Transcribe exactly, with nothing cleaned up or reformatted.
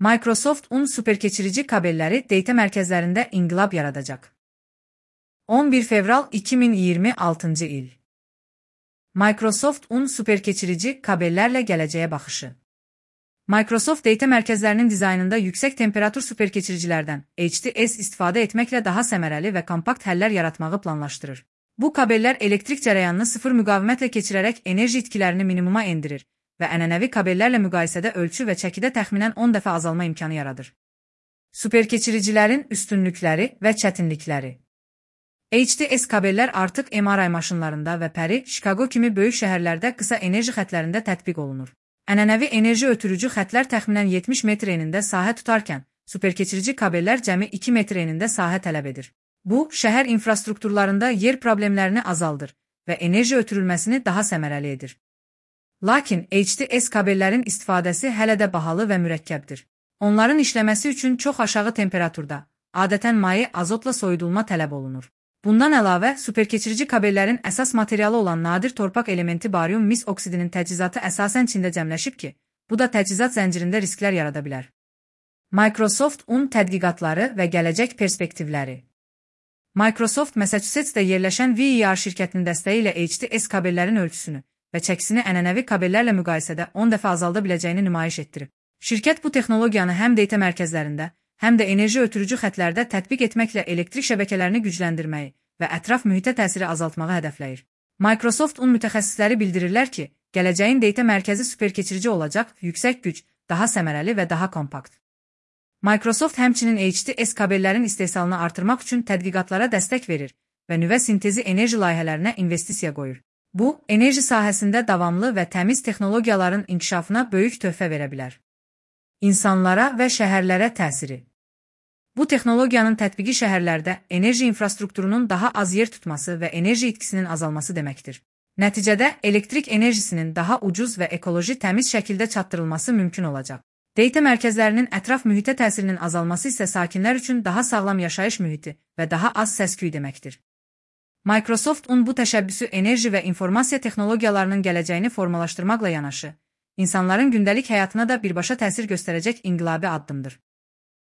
Microsoft un superkeçirici kabelləri data mərkəzlərində inqilab yaradacaq. on bir fevral iki min iyirmi altıncı il. Microsoft un superkeçirici kabellərlə gələcəyə baxışı. Microsoft data mərkəzlərinin dizaynında yüksək temperatur superkeçiricilərdən H D S istifadə etməklə daha səmərəli və kompakt həllər yaratmağı planlaşdırır. Bu kabellər elektrik cərəyanını sıfır müqavimətlə keçirərək enerji itkilərini minimuma endirir və ənənəvi kabellərlə müqayisədə ölçü və çəkidə təxminən on dəfə azalma imkanı yaradır. Superkeçiricilərin üstünlükləri və çətinlikləri. H D S kabellər artıq M R I maşınlarında və Paris, Chicago kimi böyük şəhərlərdə qısa enerji xətlərində tətbiq olunur. Ənənəvi enerji ötürücü xətlər təxminən yetmiş metr enində sahə tutarkən, superkeçirici kabellər cəmi iki metr enində sahə tələb edir. Bu, şəhər infrastrukturlarında yer problemlərini azaldır və enerji ötürülməsini daha səmərəli edir. Lakin H D S kabellərin istifadəsi hələ də bahalı və mürəkkəbdir. Onların işləməsi üçün çox aşağı temperaturda, adətən maye azotla soyudulma tələb olunur. Bundan əlavə, superkeçirici kabellərin əsas materialı olan nadir torpaq elementi barium mis oksidinin təchizatı əsasən Çində cəmləşib ki, bu da təchizat zəncirində risklər yarada bilər. Microsoft un tədqiqatları və gələcək perspektivləri. Microsoft Massachusettsdə yerləşən V E R şirkətinin dəstəyi ilə H D S kabellərin ölçüsünü və çəkisini ənənəvi kabellərlə müqayisədə on dəfə azalda biləcəyini nümayiş etdirib. Şirkət bu texnologiyanı həm data mərkəzlərində, həm də enerji ötürücü xətlərdə tətbiq etməklə elektrik şəbəkələrini gücləndirməyi və ətraf mühitə təsiri azaltmağı hədəfləyir. Microsoft un mütəxəssisləri bildirirlər ki, gələcəyin data mərkəzi superkeçirici olacaq, yüksək güc, daha səmərəli və daha kompakt. Microsoft həmçinin H D S kabellərin istehsalını artırmaq üçün tədqiqatlara dəstək verir və nüvə sintezi enerji layihələrinə investisiya qoyur. Bu, enerji sahəsində davamlı və təmiz texnologiyaların inkişafına böyük töhfə verə bilər. İnsanlara və şəhərlərə təsiri. Bu texnologiyanın tətbiqi şəhərlərdə enerji infrastrukturunun daha az yer tutması və enerji itkisinin azalması deməkdir. Nəticədə elektrik enerjisinin daha ucuz və ekoloji təmiz şəkildə çatdırılması mümkün olacaq. Data mərkəzlərinin ətraf mühitə təsirinin azalması isə sakinlər üçün daha sağlam yaşayış mühiti və daha az səs-küy deməkdir. Microsoft un bu təşəbbüsü enerji və informasiya texnologiyalarının gələcəyini formalaşdırmaqla yanaşı, insanların gündəlik həyatına da birbaşa təsir göstərəcək inqilabi addımdır.